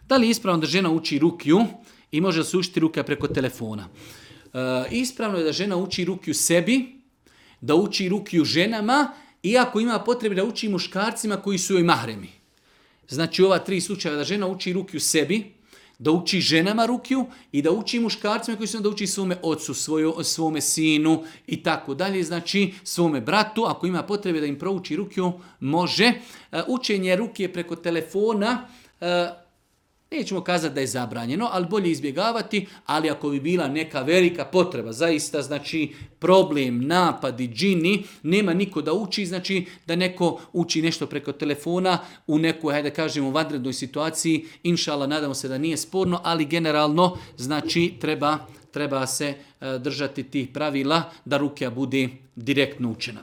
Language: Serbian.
Da li je ispravno da žena uči rukiju i može se učiti rukija preko telefona? Ispravno je da žena uči rukiju sebi, da uči rukiju ženama, iako ima potrebe da uči muškarcima koji su joj mahremi. Znači ova 3 slučaja da žena uči rukiju sebi, da uči ženama rukiju i da uči muškarcima koji su da uči svome ocu, svome sinu i tako dalje. Znači svome bratu, ako ima potrebe da im prouči rukiju, može. Učenje rukije preko telefona, nećemo kazati da je zabranjeno, ali bolje izbjegavati, ali ako bi bila neka velika potreba, zaista znači problem, napadi, džini, nema niko da uči, znači da neko uči nešto preko telefona u nekoj, hajde kažemo, vanrednoj situaciji, inšala, nadamo se da nije sporno, ali generalno znači treba se držati tih pravila da rukija bude direktno učena.